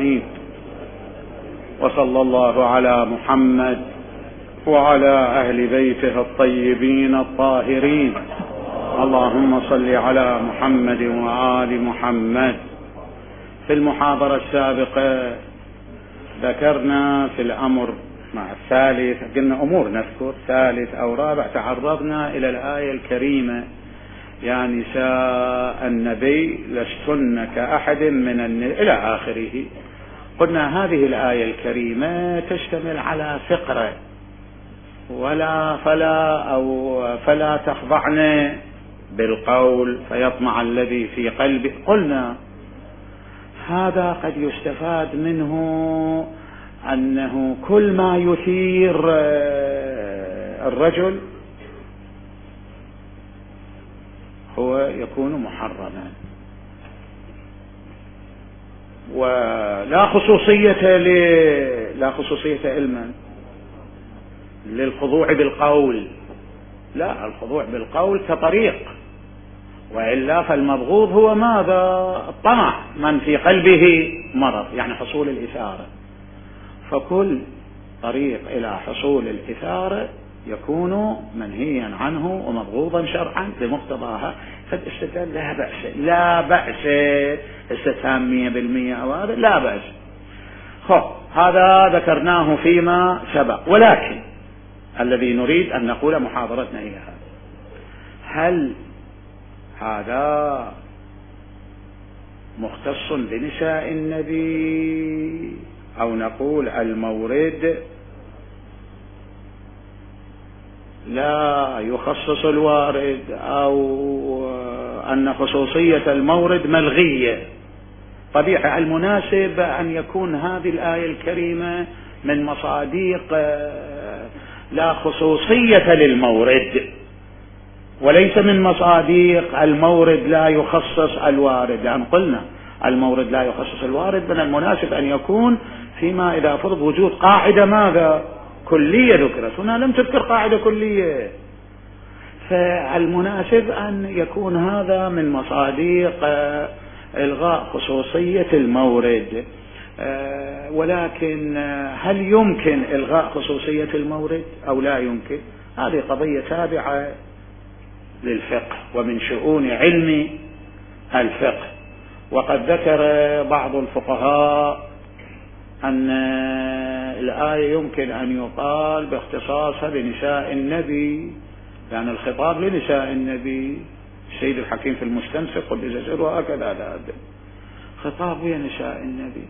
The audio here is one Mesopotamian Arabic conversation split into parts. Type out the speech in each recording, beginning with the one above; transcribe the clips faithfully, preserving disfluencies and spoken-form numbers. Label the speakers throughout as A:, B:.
A: الرحيم. وصلى الله على محمد وعلى أهل بيته الطيبين الطاهرين. اللهم صل على محمد وآل محمد. في المحاضرة السابقة ذكرنا في الأمر مع الثالث، قلنا أمور نذكر ثالث أو رابع، تعرضنا إلى الآية الكريمة: يا نساء النبي لستن كأحد من النساء إلى آخره. قلنا هذه الآية الكريمة تشتمل على فقرة: ولا فلا أو فلا تخضعن بالقول فيطمع الذي في قلبه. قلنا هذا قد يستفاد منه أنه كل ما يثير الرجل هو يكون محرما، ولا خصوصية لا خصوصية علما للخضوع بالقول، لا، الخضوع بالقول كطريق، وإلا فالمبغوض هو ماذا؟ الطمع، من في قلبه مرض، يعني حصول الإثارة. فكل طريق إلى حصول الإثارة يكون منهيا عنه ومبغوضا شرعا بمقتضاها. فالاستدلال لا بأس، لا بأس استفهام مية بالمية أو هذا لا بأس. خب هذا ذكرناه فيما سبق، ولكن الذي نريد أن نقول محاضرتنا إلى هذا: هل هذا مختص بنساء النبي، أو نقول المورد لا يخصص الوارد، أو أن خصوصية المورد ملغية؟ طبيعي المناسب أن يكون هذه الآية الكريمة من مصاديق لا خصوصية للمورد، وليس من مصاديق المورد لا يخصص الوارد، لأن قلنا المورد لا يخصص الوارد، من المناسب أن يكون فيما إذا فرض وجود قاعدة ماذا؟ كلية ذكرت. هنا لم تذكر قاعدة كلية، فالمناسب أن يكون هذا من مصاديق إلغاء خصوصية المورد. ولكن هل يمكن إلغاء خصوصية المورد أو لا يمكن؟ هذه قضية تابعة للفقه ومن شؤون علم الفقه. وقد ذكر بعض الفقهاء أن الآية يمكن أن يقال باختصاصها لنساء النبي، يعني الخطاب لنساء النبي. السيد الحكيم في المستنسخ قدس سره هكذا هذا خطاب لنساء النبي،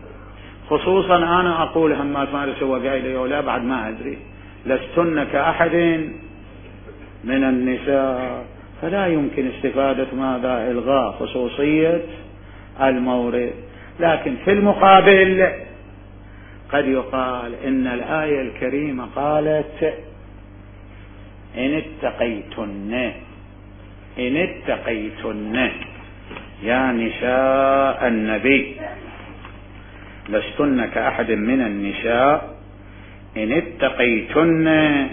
A: خصوصا أنا أقول همات ما سوى قايله ولا بعد ما أدري لستن كأحد من النساء، فلا يمكن استفادة ماذا؟ إلغاء خصوصية المورد. لكن في المقابل قد يقال إن الآية الكريمة قالت: إن اتقيتن إن اتقيتن يا نساء النبي لستن كأحد من النساء إن اتقيتن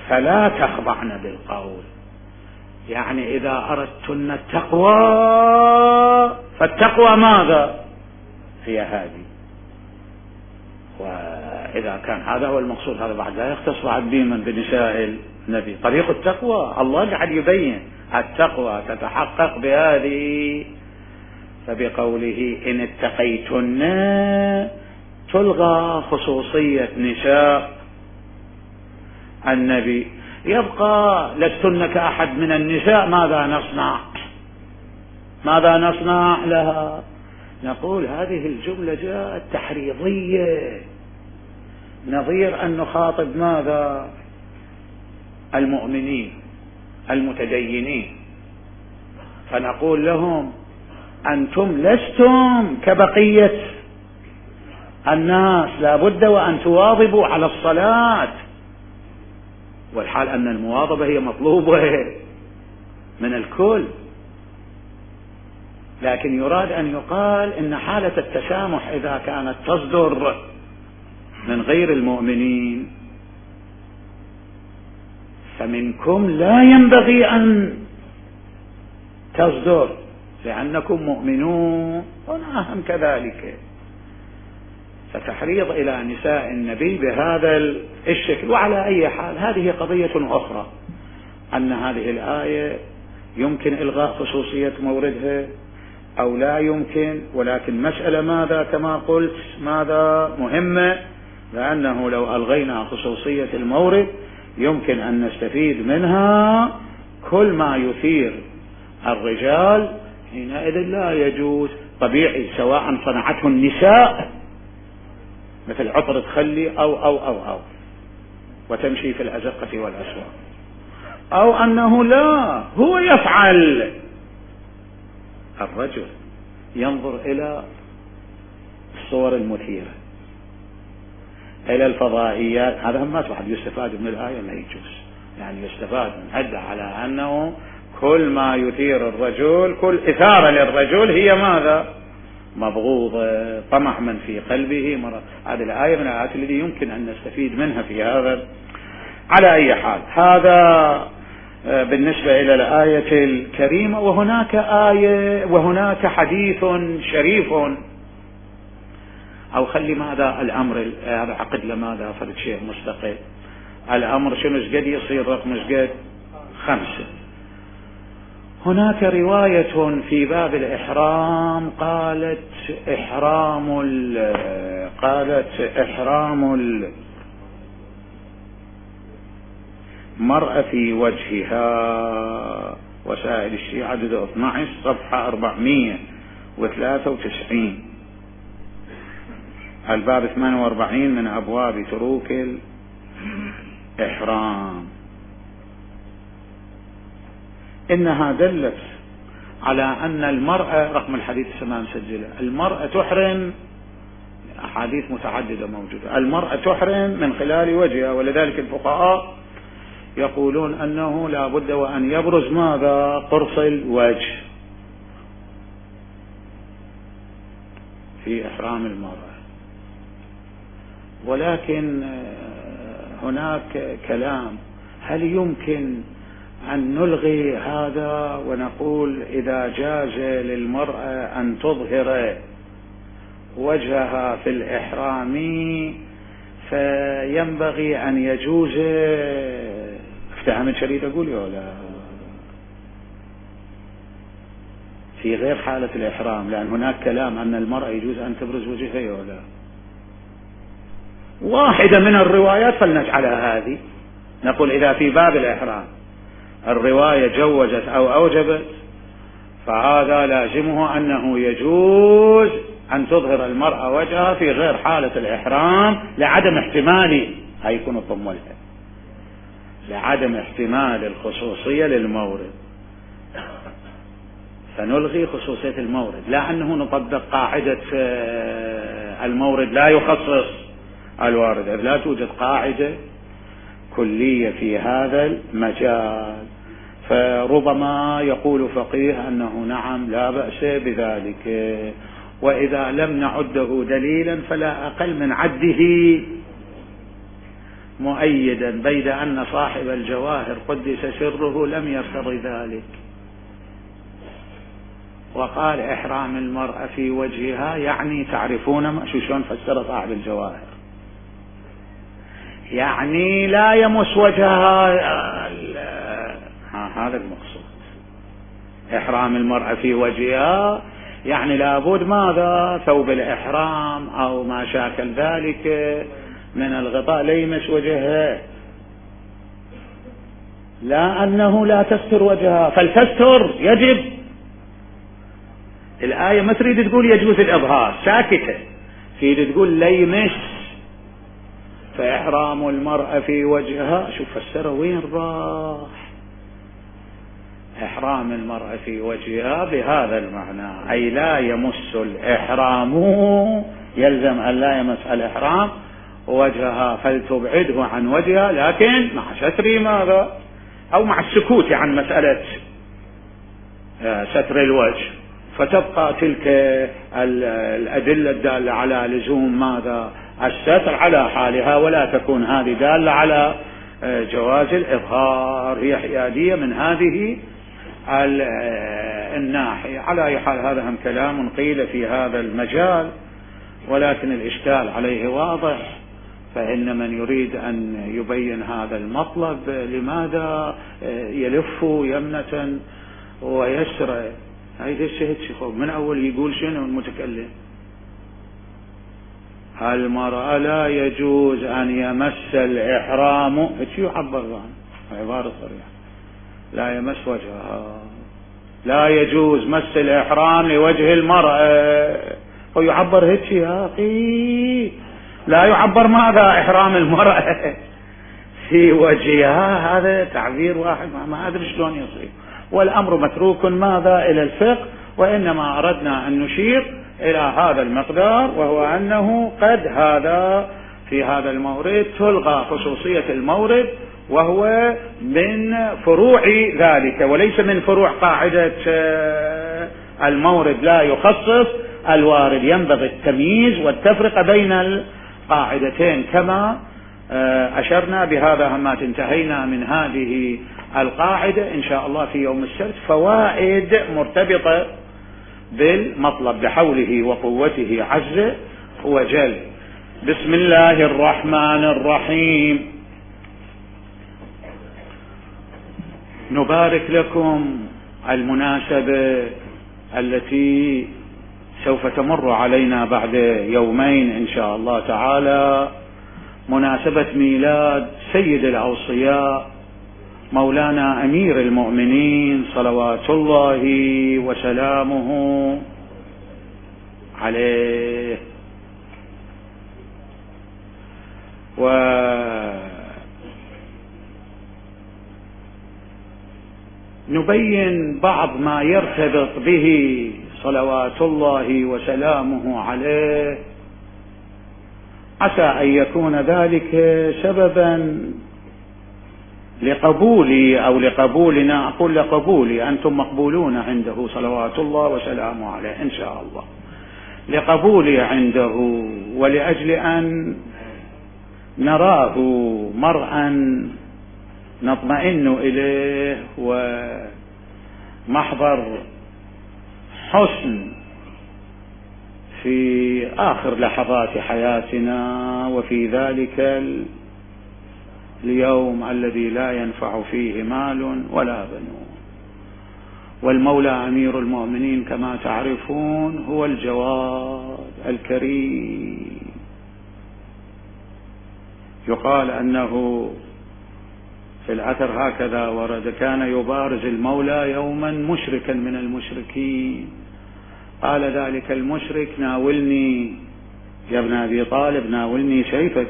A: فلا تخضعن بالقول. يعني إذا أردتن التقوى، فالتقوى ماذا؟ هي هذه. وإذا كان هذا هو المقصود، هذا بعد لا يختص بعد بمن بنساء النبي. طريق التقوى الله قاعد يبين التقوى تتحقق بهذه، فبقوله إن اتقيتن تلغى خصوصية نساء النبي. يبقى لستن كأحد من النساء، ماذا نصنع؟ ماذا نصنع لها؟ نقول هذه الجملة جاءت تحريضية، نظير أن نخاطب ماذا؟ المؤمنين المتدينين، فنقول لهم: أنتم لستم كبقية الناس، لا بد وأن تواظبوا على الصلاة، والحال أن المواظبة هي مطلوبة من الكل. لكن يراد أن يقال إن حالة التسامح إذا كانت تصدر من غير المؤمنين فمنكم لا ينبغي أن تصدر، لأنكم مؤمنون. هنا هم كذلك، فتحريض إلى نساء النبي بهذا الشكل. وعلى أي حال هذه قضية أخرى، أن هذه الآية يمكن إلغاء خصوصية موردها أو لا يمكن، ولكن مسألة ماذا كما قلت ماذا مهمة، لأنه لو ألغينا خصوصية المورد يمكن أن نستفيد منها كل ما يثير الرجال، حينئذ لا يجوز طبيعي سواء صنعته النساء مثل عطر تخلي أو أو أو أو وتمشي في الأزقة والأسواق، أو أنه لا هو يفعل. الرجل ينظر إلى الصور المثيرة، إلى الفضائيات، هذا هم واحد يستفاد من الآية ما يجوز، يعني يستفاد من هذا على أنه كل ما يثير الرجل، كل إثارة للرجل هي ماذا؟ مبغوضة، طمع من في قلبه مرض. هذه الآية من الآيات التي يمكن أن نستفيد منها في هذا. على أي حال هذا بالنسبة إلى الآية الكريمة. وهناك آية وهناك حديث شريف، أو خلي ماذا الأمر هذا عقد لماذا فرد شيء مستقل. الأمر شنو قد يصير رقم قد خمسة. هناك رواية في باب الإحرام قالت إحرام قالت إحرام المرأة في وجهها، وسائل الشيعة عدد اثني عشر صفحة أربعمائة وثلاثة وتسعين، الباب ثمانية وأربعين من أبواب تروك الإحرام. إنها دلت على أن المرأة، رقم الحديث السماء مسجلة، المرأة تحرم، أحاديث متعددة موجودة، المرأة تحرم من خلال وجهها، ولذلك الفقهاء يقولون أنه لا بد وأن يبرز ماذا؟ قرص الوجه في إحرام المرأة. ولكن هناك كلام، هل يمكن أن نلغي هذا ونقول إذا جاز للمرأة أن تظهر وجهها في الإحرام فينبغي أن يجوز؟ افتهم شريط أقول يا لا في غير حالة الإحرام، لأن هناك كلام أن المرأة يجوز أن تبرز وجهها يا لا. واحدة من الروايات فلنجعلها هذه، نقول إذا في باب الإحرام الرواية جوزت أو أوجبت فهذا لازمه أنه يجوز أن تظهر المرأة وجهها في غير حالة الإحرام لعدم احتمال، هاي يكون الضمولها، لعدم احتمال الخصوصية للمورد، فنلغي خصوصية المورد، لا أنه نطبق قاعدة المورد لا يخصص الوارد، لا توجد قاعدة كلية في هذا المجال. فربما يقول فقيه أنه نعم لا بأس بذلك، وإذا لم نعده دليلا فلا أقل من عده مؤيدا، بيد أن صاحب الجواهر قدس سره لم يرتضي ذلك، وقال إحرام المرأة في وجهها يعني تعرفون ما شو شلون فسر صاحب الجواهر، يعني لا يمس وجهها، هذا المقصود. إحرام المرأة في وجهها يعني لابد ماذا؟ ثوب الإحرام أو ما شاكل ذلك من الغطاء لا يمس وجهها، لا أنه لا تستر وجهها، فالتستر يجب. الآية ما تريد تقول يجوز الإظهار، ساكتة، تريد تقول لا يمس. فإحرام المرأة في وجهها، شوف فسره وين راح، إحرام المرأة في وجهها بهذا المعنى، أي لا يمس الإحرام، يلزم أن لا يمس الإحرام وجهها، فلتبعده عن وجهها، لكن مع ستر ماذا؟ أو مع السكوت عن مسألة ستر الوجه، فتبقى تلك الأدلة الدالة على لزوم ماذا؟ الستر على حالها، ولا تكون هذه دالة على جواز الإظهار، هي حيادية من هذه الناحية. على أي حال هذا هم كلام قيل في هذا المجال، ولكن الإشكال عليه واضح، فإن من يريد أن يبين هذا المطلب لماذا يلف يمنة ويسرى؟ هيدا الشيء من أول يقول شنو المتكلم؟ المرأة لا يجوز أن يمس الإحرام، ايش يعبر عنه؟ عبارة صريحة، لا يمس وجهها، لا يجوز مس الإحرام لوجه المرأة، ويعبر هيك يا أخي، لا يعبر ماذا إحرام المرأة في وجهها، هذا تعبير واحد ما أدري شلون يصير. والأمر متروك ماذا إلى الفقه، وإنما أردنا أن نشير إلى هذا المقدار، وهو أنه قد هذا في هذا المورد تلغى خصوصية المورد، وهو من فروع ذلك وليس من فروع قاعدة المورد لا يخصص الوارد. ينبغي التمييز والتفرقة بين القاعدتين كما أشرنا. بهذا همات انتهينا من هذه القاعدة. إن شاء الله في يوم السبت فوائد مرتبطة بالمطلب بحوله وقوته عز وجل. بسم الله الرحمن الرحيم. نبارك لكم المناسبة التي سوف تمر علينا بعد يومين إن شاء الله تعالى، مناسبة ميلاد سيد الأوصياء مولانا أمير المؤمنين صلوات الله وسلامه عليه. ونبين بعض ما يرتبط به صلوات الله وسلامه عليه، عسى أن يكون ذلك سببا لقبولي أو لقبولنا، أقول لقبولي، أنتم مقبولون عنده صلوات الله وسلامه عليه إن شاء الله، لقبولي عنده، ولأجل أن نراه مرءا نطمئن إليه ومحضر حسن في آخر لحظات حياتنا، وفي ذلك اليوم الذي لا ينفع فيه مال ولا بنون. والمولى أمير المؤمنين كما تعرفون هو الجواد الكريم. يقال أنه في الأثر هكذا ورد: كان يبارز المولى يوما مشركا من المشركين، قال ذلك المشرك: ناولني يا ابن أبي طالب، ناولني سيفك.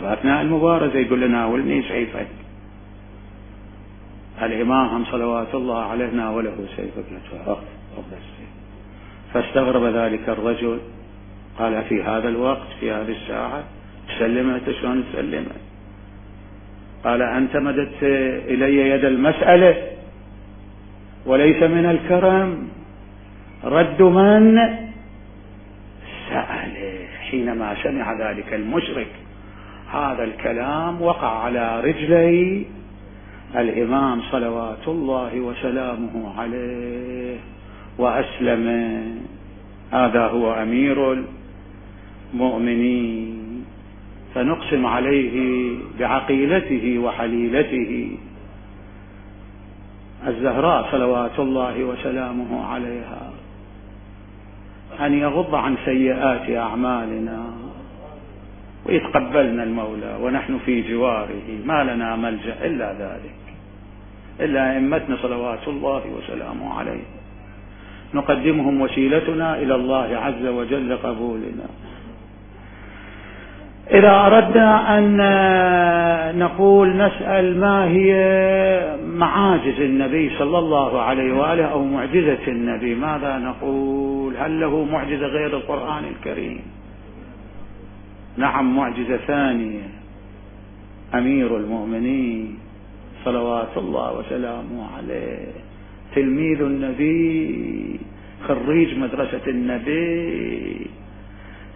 A: أثناء المبارزة يقول له: ناولني سيفك. الإمام صلوات الله عليه ناوله سيفك، فاستغرب ذلك الرجل، قال: في هذا الوقت في هذه الساعة تسلمت؟ شلون تسلمت؟ قال: أنت مددت إلي يد المسألة، وليس من الكرم رد من سأله. حينما سمع ذلك المشرك هذا الكلام وقع على رجلي الإمام صلوات الله وسلامه عليه وأسلم. هذا هو أمير المؤمنين، فنقسم عليه بعقيلته وحليلته الزهراء صلوات الله وسلامه عليها أن يغض عن سيئات أعمالنا ويتقبلنا المولى ونحن في جواره، ما لنا ملجأ إلا ذلك، إلا أئمتنا صلوات الله وسلامه عليه، نقدمهم وسيلتنا إلى الله عز وجل قبولنا. إذا أردنا أن نقول نسأل ما هي معاجز النبي صلى الله عليه وآله أو معجزة النبي، ماذا نقول؟ هل له معجزة غير القرآن الكريم؟ نعم، معجزة ثانية، أمير المؤمنين صلوات الله وسلامه عليه، تلميذ النبي، خريج مدرسة النبي.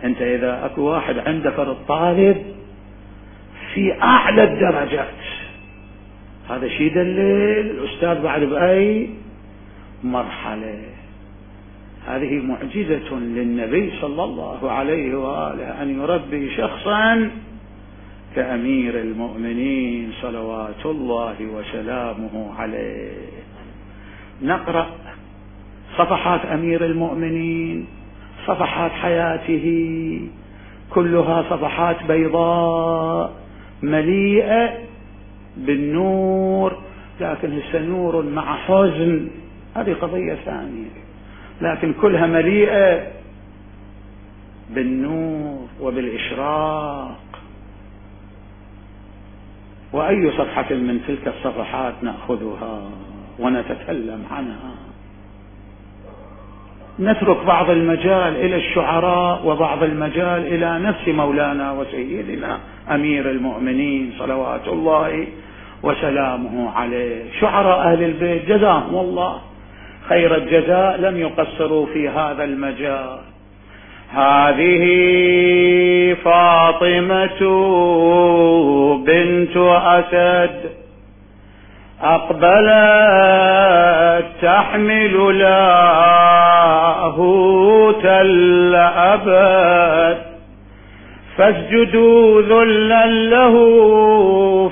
A: أنت إذا أكو واحد عنده فرد طالب في أعلى الدرجات، هذا شيء دليل الأستاذ بعد بأي مرحلة. هذه معجزة للنبي صلى الله عليه وآله أن يربي شخصا كأمير المؤمنين صلوات الله وسلامه عليه. نقرأ صفحات أمير المؤمنين، صفحات حياته كلها صفحات بيضاء مليئة بالنور، لكن هسه نور مع حزن هذه قضية ثانية، لكن كلها مليئة بالنور وبالإشراق. وأي صفحة من تلك الصفحات نأخذها ونتكلم عنها؟ نترك بعض المجال إلى الشعراء وبعض المجال إلى نفس مولانا وسيدنا أمير المؤمنين صلوات الله وسلامه عليه. شعراء أهل البيت جزاهم الله خير الجزاء لم يقصروا في هذا المجال. هذه فاطمة بنت أسد أقبلت تحمل لاهوت الأبد، فاسجدوا ذلا له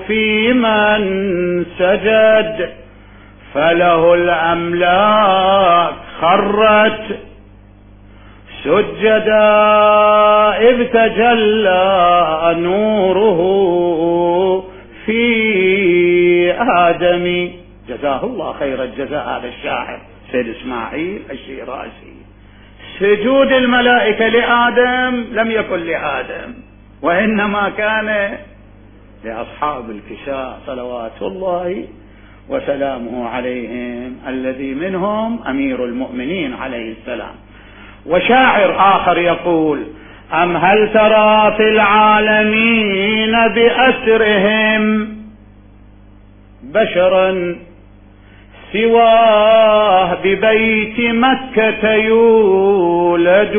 A: في من سجد، فله الأملاك خرت سجدا إذ تجلى نوره في آدم. جزاه الله خير الجزاء هذا الشاعر سيد إسماعيل الشيرازي. سجود الملائكة لآدم لم يكن لآدم، وإنما كان لأصحاب الكساء صلوات الله وسلامه عليهم، الذي منهم أمير المؤمنين عليه السلام. وشاعر آخر يقول: أم هل ترى في العالمين بأسرهم بشرا سواه ببيت مكة يولد،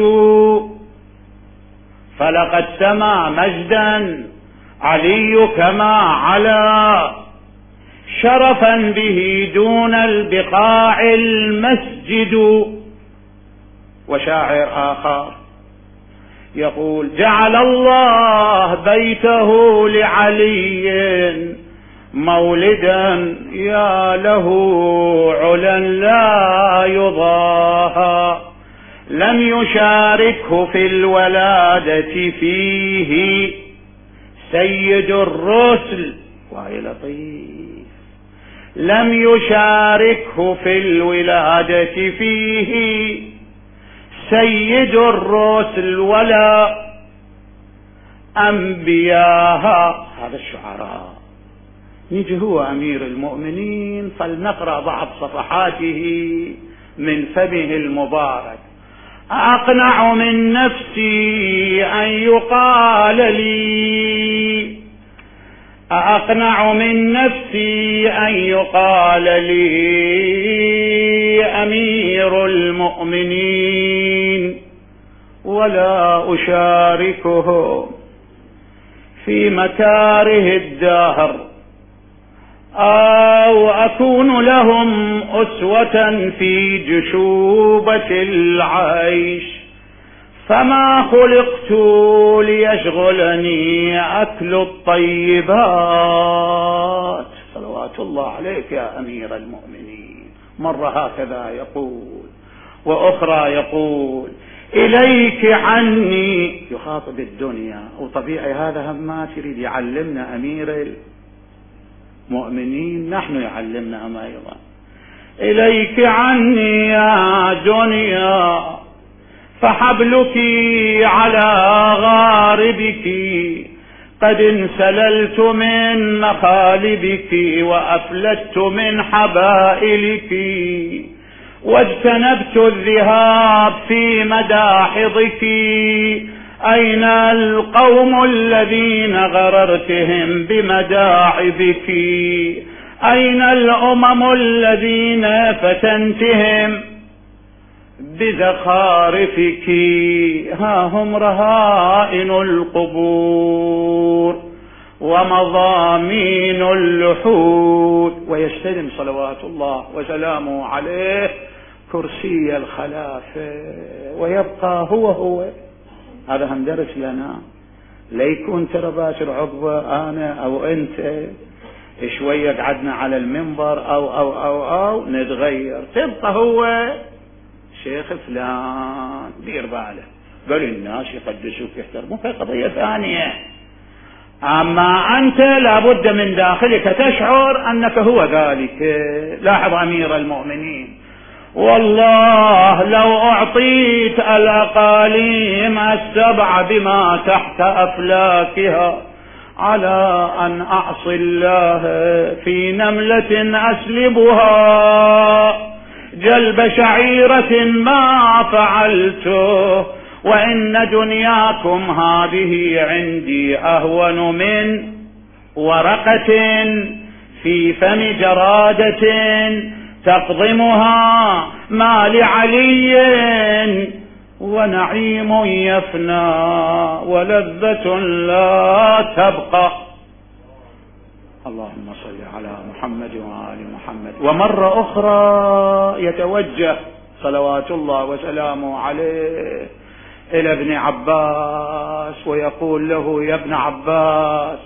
A: فلقد سما مجدا علي كما علا، شرفا به دون البقاع المسجد. وشاعر آخر يقول: جعل الله بيته لعلي مولدا يا له علا لا يضاهى، لم يشاركه في الولادة فيه سيد الرسل. وهي لطيف، لم يشاركه في الولادة فيه سيد الرسل ولا أنبياها. هذا الشعراء. نيجي هو أمير المؤمنين، فلنقرأ بعض صفحاته من فمه المبارك. أقنع من نفسي أن يقال لي، أقنع من نفسي أن يقال لي أمير المؤمنين، ولا أشاركه في مكاره الدهر، أو أكون لهم أسوة في جشوبة العيش، فما خلقت ليشغلني أكل الطيبات. صلوات الله عليك يا أمير المؤمنين. مرة هكذا يقول، وأخرى يقول: إليك عني، يخاطب الدنيا، وطبيعي هذا همات يريد يعلمنا أمير المؤمنين، نحن يعلمنا أما أيضا. إليك عني يا دنيا، فحبلك على غاربك، قد انسللت من مخالبك وأفلت من حبائلك، واجتنبت الذهاب في مداحضك. أين القوم الذين غررتهم بمداعبك؟ أين الأمم الذين فتنتهم بزخارفك؟ ها هم رهائن القبور ومضامين اللحود. ويستلم صلوات الله وسلامه عليه كرسي الخلافة ويبقى هو هو. هذا هم درس لنا، ليكون ترى باشر عضوة أنا أو أنت شوية قعدنا على المنبر أو أو أو أو نتغير، تبقى هو شيخ فلان دير باله، قال الناس يقدسوك يحترموك، هي قضية ثانية. أما أنت لابد من داخلك تشعر أنك هو ذلك. لاحظ أمير المؤمنين، والله لو أعطيت الأقاليم السبع بما تحت أفلاكها على أن أعصي الله في نملة أسلبها جلب شعيرة ما فعلته، وإن دنياكم هذه عندي أهون من ورقة في فم جرادة تقضمها ما لعلي، ونعيم يفنى ولذة لا تبقى. اللهم صل على محمد وآل محمد. ومرة أخرى يتوجه صلوات الله وسلامه عليه إلى ابن عباس ويقول له: يا ابن عباس،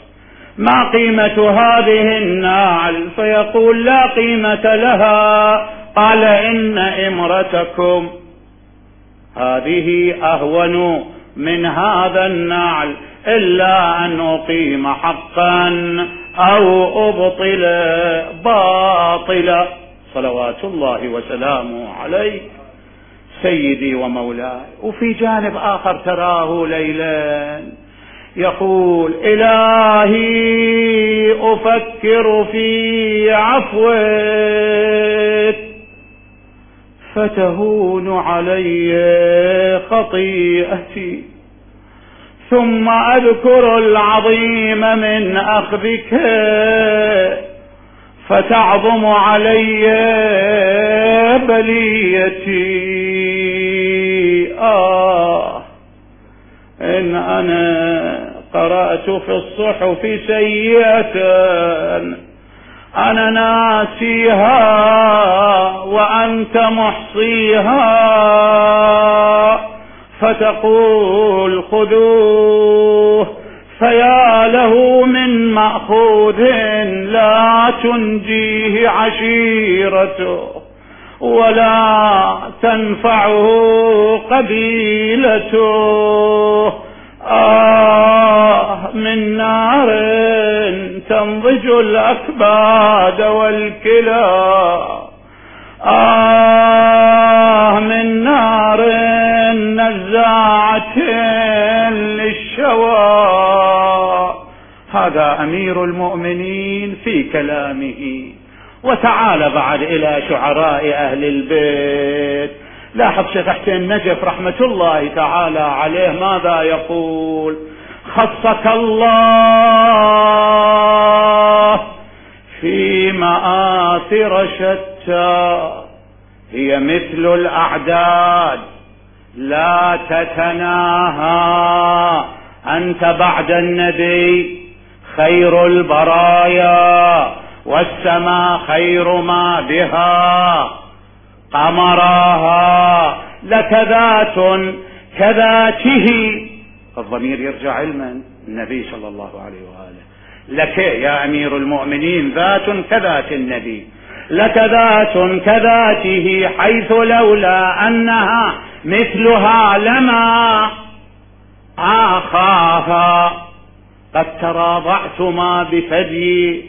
A: ما قيمة هذه النعل؟ فيقول: لا قيمة لها. قال: إن إمرتكم هذه أهون من هذا النعل، إلا أن أقيم حقا أو أبطل باطلا. صلوات الله وسلامه عليه سيدي ومولاي. وفي جانب آخر تراه ليلا يقول: إلهي أفكر في عفوك فتهون علي خطيئتي، ثم أذكر العظيم من أخذك فتعظم علي بليتي. آه إن أنا قرأت في الصحف سيئة أنا ناسيها وأنت محصيها، فتقول خذوه، فيا له من مأخوذ لا تنجيه عشيرته ولا تنفعه قبيلته. آه من نار تنضج الأكباد والكلى، آه من نار نزاعة للشوى. هذا أمير المؤمنين في كلامه. وتعال بعد إلى شعراء أهل البيت. لاحظ شيخ حسين نجف رحمة الله تعالى عليه ماذا يقول: خصك الله في مآثر شتى هي مثل الأعداد لا تتناهى، أنت بعد النبي خير البرايا، والسماء خير ما بها قمراها، لك ذات كذاته. الضمير يرجع علما النبي صلى الله عليه وآله. لك يا أمير المؤمنين ذات كذات النبي، لك ذات كذاته، حيث لولا أنها مثلها لما آخاها. قد تراضعتما بثدي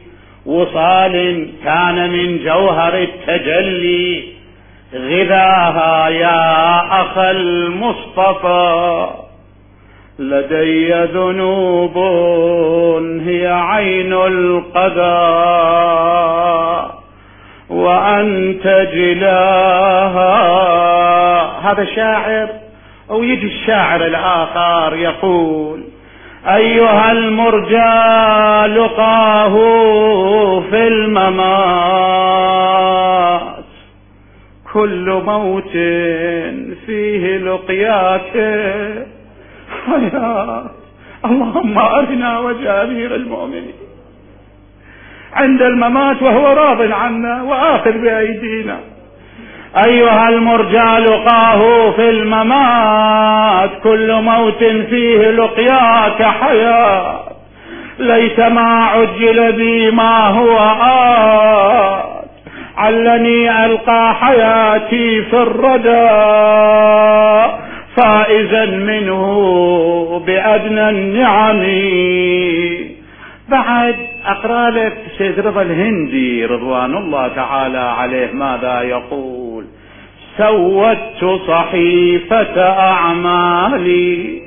A: وصال كان من جوهر التجلي غذاها يا أخ المصطفى. لدي ذنوب هي عين القضاء وأنت جلاها. هذا شاعر. ويجي الشاعر الآخر يقول: أيها المرجى لقاه في الممات، كل موت فيه لقياك. يا اللهم أرنا وجه أمير المؤمنين عند الممات وهو راض عنا وآخذ بأيدينا. أيها المرجى لقاه في الممات، كل موت فيه لقياك حياة، ليس ما عجل بي ما هو آت، علني ألقى حياتي في الردى، فائزا منه بأدنى النعم. بعد أقرأ لك سيد رضا الهندي رضوان الله تعالى عليه ماذا يقول: سودت صحيفة أعمالي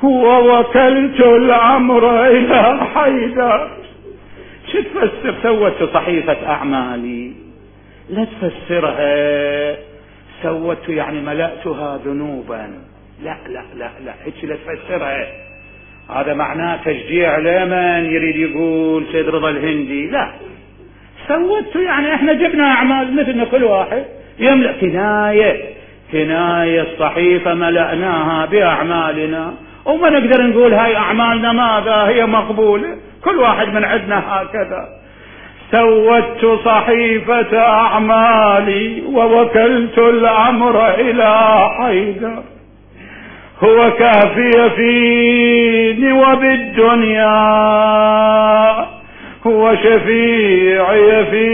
A: ووكلت الأمر إلى حيدر. شو تفسر سودت صحيفة أعمالي؟ لا تفسرها سودت يعني ملأتها ذنوبا، لا لا لا لا هيك لا تفسرها. هذا معناه تشجيع لمن يريد يقول سيد رضا الهندي. لا، سودت يعني احنا جبنا أعمال مثلنا كل واحد يملأ، كناية كناية الصحيفة ملأناها بأعمالنا، وما نقدر نقول هاي أعمالنا ماذا هي مقبولة، كل واحد من عندنا هكذا. سودت صحيفة أعمالي ووكلت الأمر إلى حيدر، هو كافي فيني وبالدنيا، هو شفيعي في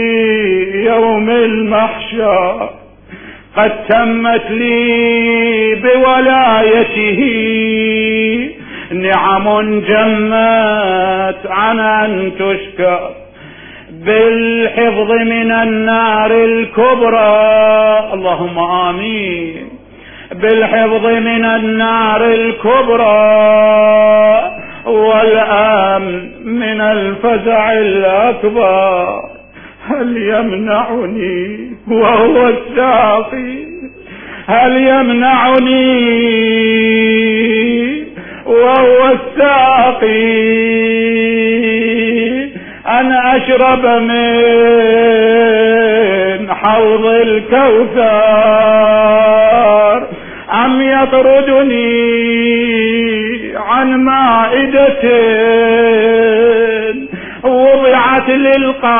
A: يوم المحشر، قد تمت لي بولايته نعم جمت عن أن تشكر، بالحفظ من النار الكبرى، اللهم آمين، بالحفظ من النار الكبرى والأمن من الفزع الأكبر، هل يمنعني وهو الساقي، هل يمنعني وهو الساقي أن أشرب من حوض الكوثر، أم يطردني عن مائدة وضعت للقانع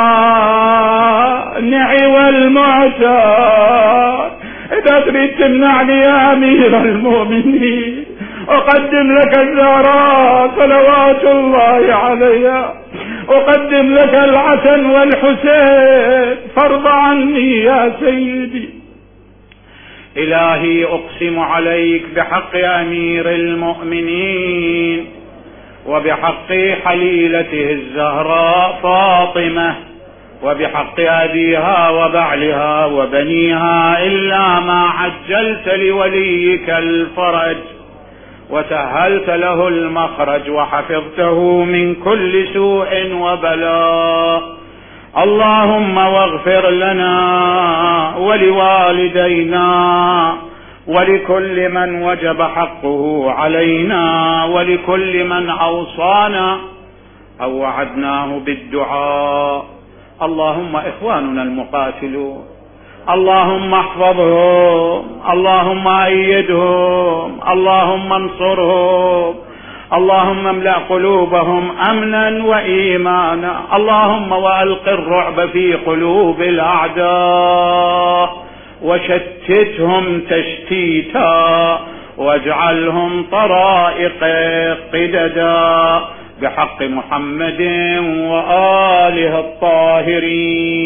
A: والمعتار. إذا تريد تمنعني يا أمير المؤمنين أقدم لك الزهراء صلوات الله عليها، أقدم لك الحسن والحسين، فارض عني يا سيدي. إلهي أقسم عليك بحق أمير المؤمنين وبحق حليلته الزهراء فاطمة وبحق أبيها وبعلها وبنيها، إلا ما عجلت لوليك الفرج وسهلت له المخرج وحفظته من كل سوء وبلاء، اللهم واغفر لنا ولوالدينا ولكل من وجب حقه علينا ولكل من أوصانا أو وعدناه بالدعاء. اللهم إخواننا المقاتلون اللهم احفظهم، اللهم أيدهم، اللهم انصرهم، اللهم املأ قلوبهم أمنا وإيمانا، اللهم وألق الرعب في قلوب الأعداء وشتتهم تشتيتا واجعلهم طرائق قددا بحق محمد وآله الطاهرين.